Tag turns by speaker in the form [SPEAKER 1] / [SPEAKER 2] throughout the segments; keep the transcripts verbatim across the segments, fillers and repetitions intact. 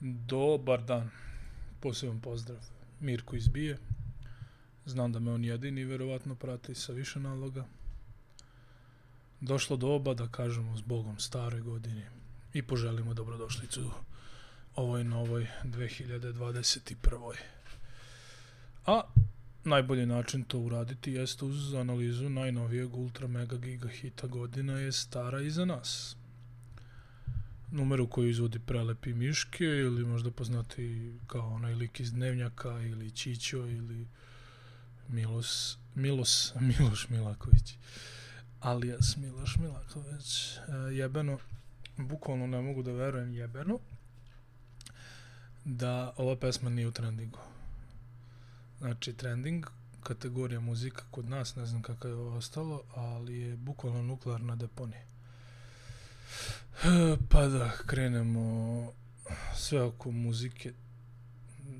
[SPEAKER 1] Dobar dan, poseban pozdrav Mirko iz Bije. Znam da me on jedini verovatno prati sa više naloga. Došlo doba da kažemo s Bogom staroj godini i poželimo dobrodošlicu ovoj novoj dve hiljade dvadeset prve. A najbolji način to uraditi jeste uz analizu najnovijeg ultra mega giga hita Godina je stara iza nas. Numeru koju izvodi Prelepi Miške ili možda poznati kao onaj lik iz Dnevnjaka ili Čićo ili Milos, Milos, Miloš Milaković alias Miloš Milaković. E, jebeno, bukvalno ne mogu da verujem jebeno da ova pesma nije u trendingu. Znači trending, kategorija muzika kod nas, ne znam kako je ovo ostalo, ali je bukvalno nuklearna deponija. Pa da krenemo sve oko muzike.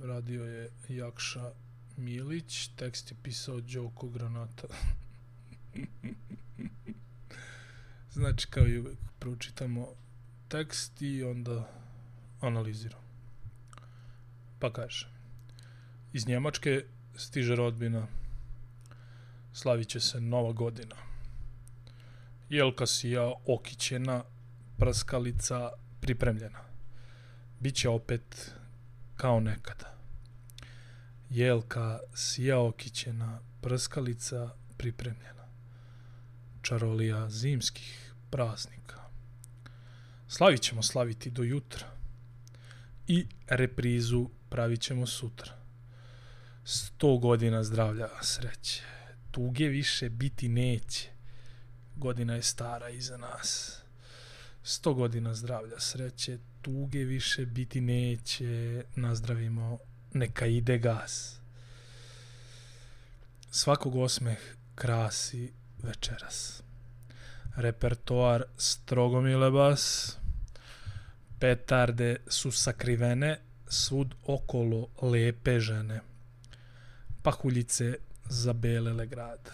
[SPEAKER 1] Radio je Jakša Milić, tekst je pisao Đoko Granata. Znači kao i uvek pročitamo tekst i onda analiziramo. Pa kaže: iz Njemačke stiže rodbina, slavit će se Nova godina. Jelka sija okićena, prskalica pripremljena. Biće opet kao nekada. Jelka sija okićena, prskalica pripremljena. Čarolija zimskih praznika. Slavit ćemo slaviti do jutra. I reprizu pravit ćemo sutra. Sto godina zdravlja, sreće. Tuge više biti neće. Godina je stara iza nas. Sto godina zdravlja, sreće, tuge više biti neće, nazdravimo, neka ide gas. Svakog osmeh krasi večeras. Repertoar strogomile bas, petarde su sakrivene, svud okolo lepe žene. Pahuljice zabelele grad.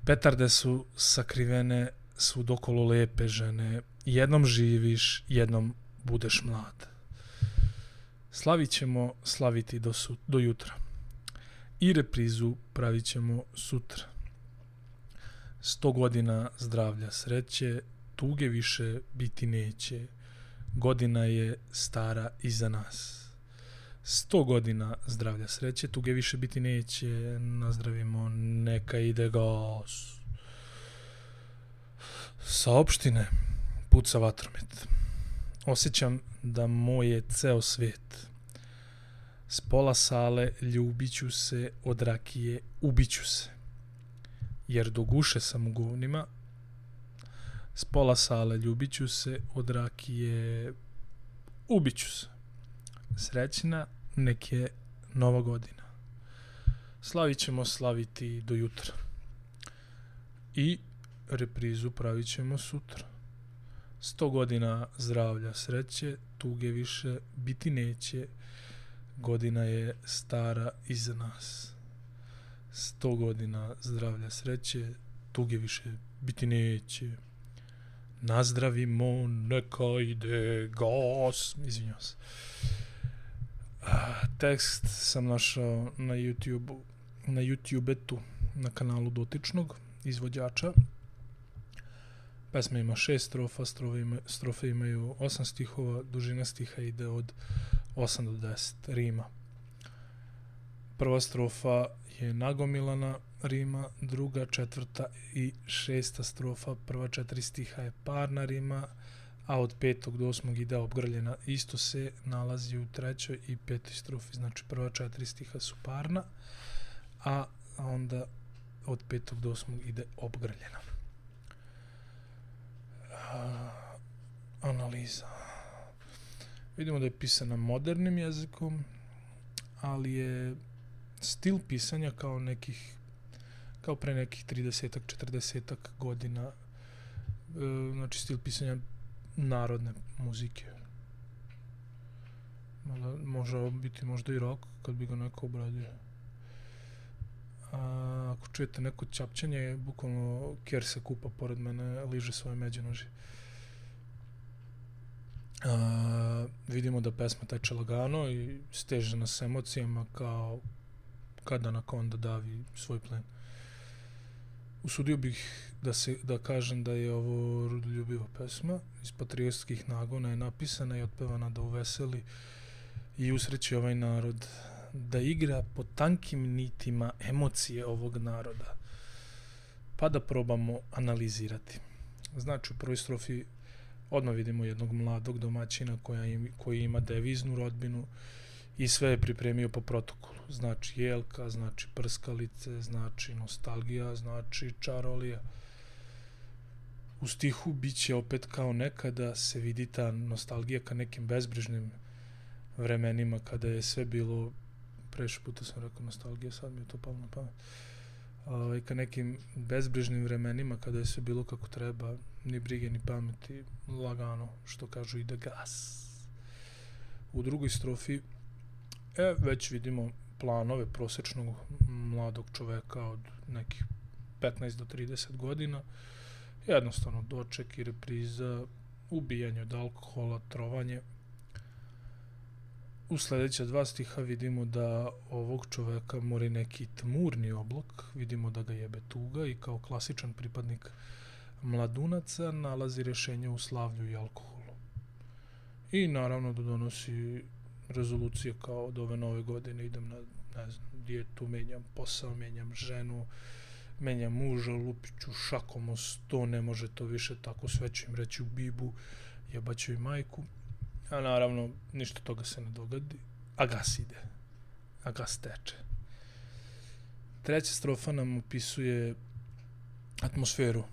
[SPEAKER 1] Petarde su sakrivene, svud okolo lepe žene, jednom živiš, jednom budeš mlad. Slavit ćemo slaviti do, su, do jutra. I reprizu pravit ćemo sutra. Sto godina zdravlja, sreće, tuge više biti neće. Godina je stara iza nas. Sto godina zdravlja, sreće, tuge više biti neće. Nazdravimo, neka ide gas. Sa opštine puca vatromet. Osjećam da moj je ceo svet. S pola sale ljubiću se, od rakije ubiću se. Jer do guše sam u govnima. S pola sale ljubiću se, od rakije ubiću se. Srećna nek je Nova godina. Slavit ćemo slaviti do jutra. I reprizu pravit ćemo sutra. Sto godina zdravlja, sreće, tuge više biti neće. Godina je stara iza nas. Sto godina zdravlja, sreće, tuge više biti neće. Nazdravimo, neka ide gas. Izvinjavam se. Tekst sam našao na YouTube, na YouTubetu, na kanalu dotičnog izvođača. Pesma ima šest strofa, strofe, ima, strofe imaju osam stihova, dužina stiha ide od osam do deset rima. Prva strofa je nagomilana rima, druga, četvrta i šesta strofa, prva četiri stiha je parna rima, a od petog do osmog ide obgrljena. Isto se nalazi u trećoj i petoj strofi, znači prva četiri stiha su parna, a onda od petog do osmog ide obgrljena. Analiza. Vidimo da je pisana modernim jezikom, ali je stil pisanja kao nekih kao pre nekih tridesetak četrdesetak godina. E, znači stil pisanja narodne muzike. Može biti možda i rock kad bi ga neko obradio. A, ako čujete neko ćapćanje, bukvalno Kjer se kupa pored mene, liže svoje međenoži. A, vidimo da pesma teče lagano i steže nas emocijama kao kada Anakonda davi svoj plen. Usudio bih da, se, da kažem da je ovo rodoljubiva pesma, iz patriotskih nagona je napisana i otpevana da uveseli i usreći ovaj narod, da igra po tankim nitima emocije ovog naroda, pa da probamo analizirati. Znači, u prvoj strofi odmah vidimo jednog mladog domaćina koja im, koji ima deviznu rodbinu i sve je pripremio po protokolu. Znači jelka, znači prskalice, znači nostalgija, znači čarolija. U stihu biće opet kao nekada se vidi ta nostalgija ka nekim bezbrižnim vremenima kada je sve bilo, preši puta sam rekao nostalgija, sad mi je to palo na pamet, ovaj, ka nekim bezbrižnim vremenima kada je sve bilo kako treba, ni brige ni pameti, lagano, što kažu, ide gas. U drugoj strofi e, već vidimo planove prosječnog mladog čoveka od nekih petnaest do trideset godina, jednostavno doček i repriza, ubijanje od alkohola, trovanje. U sljedeća dva stiha vidimo da ovog čoveka mori neki tmurni oblak, vidimo da ga jebe tuga i kao klasičan pripadnik mladunaca nalazi rješenje u slavlju i alkoholu. I naravno da donosi rezolucije kao od ove nove godine idem na, ne znam, dijetu, menjam posao, menjam ženu, menjam muža, lupiću šakom o sto, ne može to više tako, sve ću im reći u bibu, jebaću i majku. A naravno, ništa toga se ne dogodi, a gas ide, a gas teče. Treća strofa nam opisuje atmosferu,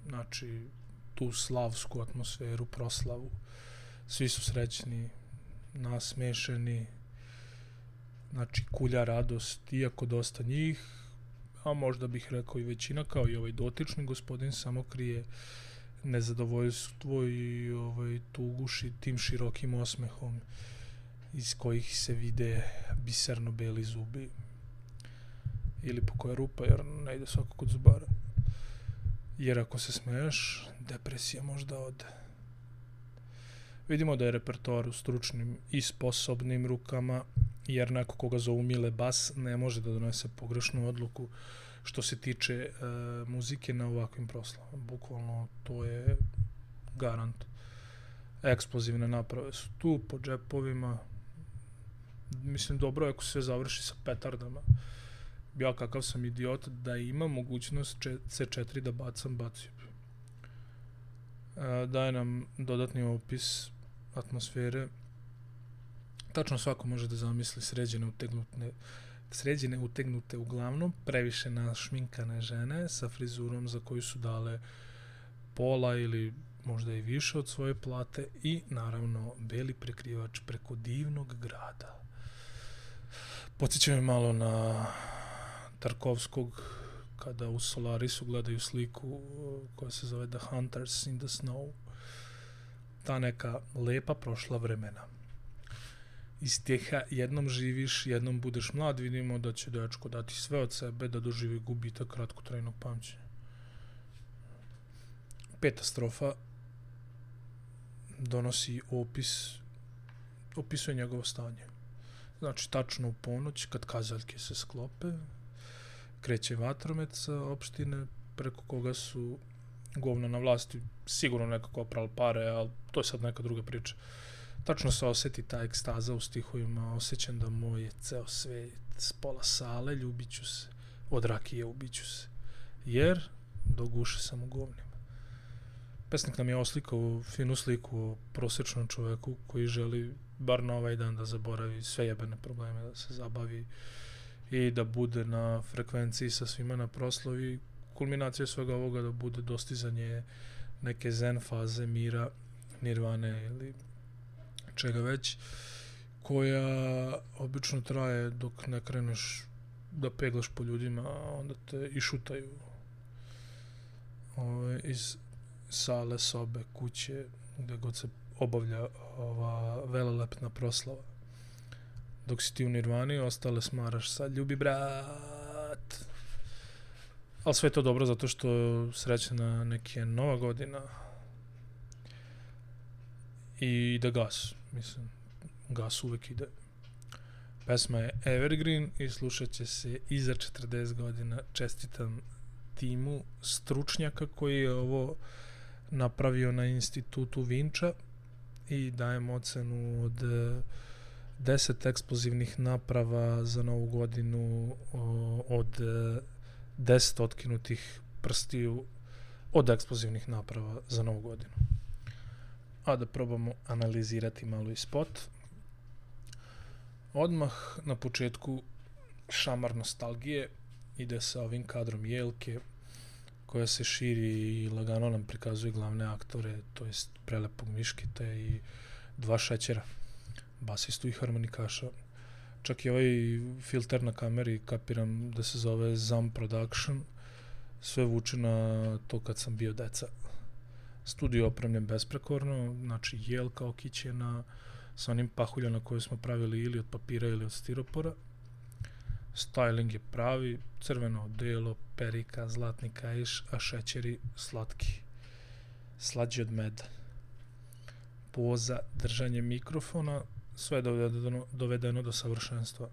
[SPEAKER 1] znači tu slavsku atmosferu, proslavu. Svi su srećni, nasmešeni, znači kulja radost, iako dosta njih, a možda bih rekao i većina, kao i ovaj dotični gospodin, samo krije nezadovoljstvo i ovaj, tuguši tim širokim osmehom iz kojih se vide biserno beli zubi ili po koja rupa, jer ne ide svako kod zubara. Jer ako se smeješ, depresija možda ode. Vidimo da je repertoar u stručnim i sposobnim rukama, jer neko koga zovu Mile Bas ne može da donese pogrešnu odluku što se tiče e, muzike na ovakvim proslavama. Bukvalno to je garant. Eksplozivne naprave su tu po džepovima. Mislim, dobro je ako sve završi sa petardama. Ja kakav sam idiot da ima mogućnost ce četiri da bacam, bacio bi. E, daje nam dodatni opis atmosfere. Tačno svako može da zamisli sređene utegnutne sređene utegnute uglavnom previše našminkane žene sa frizurom za koju su dale pola ili možda i više od svoje plate i naravno beli prekrivač preko divnog grada. Podsjeća me malo na Tarkovskog kada u Solarisu gledaju sliku koja se zove The Hunters in the Snow. Ta neka lepa prošla vremena. Iz teha jednom živiš, jednom budeš mlad, vidimo da će dečko dati sve od sebe da doživi gubitak kratkotrajnog pamćenja. Peta strofa donosi opis, opisuje njegovo stanje. Znači, tačno u ponoć, kad kazaljke se sklope, kreće vatromet sa opštine, preko koga su govna na vlasti, sigurno nekako oprali pare, ali to je sad neka druga priča. Tačno se osjeti ta ekstaza u stihovima, osjećam da moj je ceo svet, s pola sale ljubit ću se, od rakije ubit ću se, jer do guše sam u govnima. Pesnik nam je oslikao finu sliku o prosječnom čoveku koji želi bar na ovaj dan da zaboravi sve jebene probleme, da se zabavi i da bude na frekvenciji sa svima na proslavi. Kulminacija svega ovoga da bude dostizanje neke zen faze mira, nirvane ili čega već, koja obično traje dok ne kreneš da peglaš po ljudima, a onda te išutaju ove, iz sale, sobe, kuće, gde god se obavlja ova velelepna proslava. Dok si ti u nirvani, ostale smaraš sa ljubi brat. Ali sve je to dobro zato što srećena neka nova godina i ide gas, mislim, gas uvek ide. Pesma je Evergreen i slušat će se iza četrdeset godina. Čestitam timu stručnjaka koji je ovo napravio na institutu Vinča i dajem ocenu od deset eksplozivnih naprava za novu godinu, od deset otkinutih prstiju od eksplozivnih naprava za novu godinu. A da probamo analizirati malo i spot. Odmah na početku šamar nostalgije ide sa ovim kadrom Jelke koja se širi i lagano nam prikazuje glavne aktore, to jest prelepog Miškita i dva šećera, basistu i harmonikaša. Čak i ovaj filter na kameri kapiram da se zove Zam Production, sve vuče na to kad sam bio deca. Studio opremljen besprekorno, znači Jelka okićena sa onim pahuljama koje smo pravili ili od papira ili od stiropora. Styling je pravi, crveno odelo, perika, zlatni kaiš, a šećeri slatki, slađi od meda. Poza, držanje mikrofona, sve je dovedeno, dovedeno do savršenstva.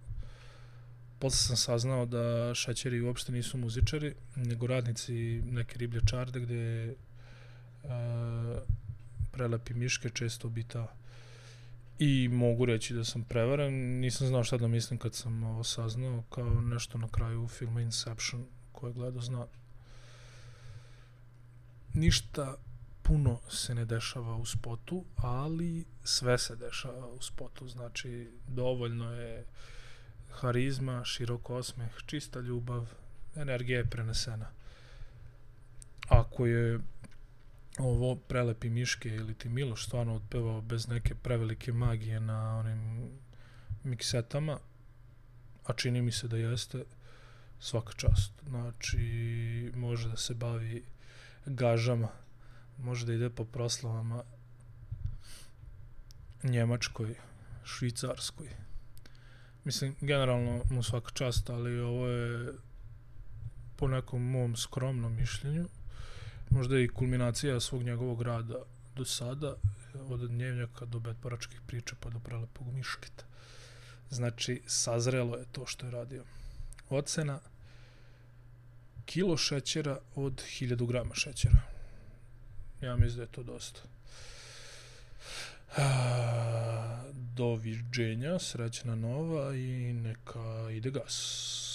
[SPEAKER 1] Posle sam saznao da šećeri uopšte nisu muzičari, nego radnici neke riblje čarde gde e, prelepi Miške često obitava. I mogu reći da sam prevaren, nisam znao šta da mislim kad sam ovo saznao, kao nešto na kraju filma Inception, koje gledao zna. Ništa puno se ne dešava u spotu, ali sve se dešava u spotu, znači dovoljno je harizma, širok osmeh, čista ljubav, energija je prenesena. Ako je ovo prelepi Miške ili ti Miloš stvarno otpevao bez neke prevelike magije na onim miksetama, a čini mi se da jeste, svaka čast. Znači, može da se bavi gažama, može da ide po proslavama Njemačkoj, Švicarskoj. Mislim, generalno mu svaka čast, ali ovo je po nekom mom skromnom mišljenju možda i kulminacija svog njegovog rada do sada, od Dnevnjaka do Betporačkih priča pa do prelepog Miškita. Znači, sazrelo je to što je radio. Ocena: kilo šećera od hiljadu grama šećera. Ja mislim da je to dosta. Doviđenja, srećna nova i neka ide gas.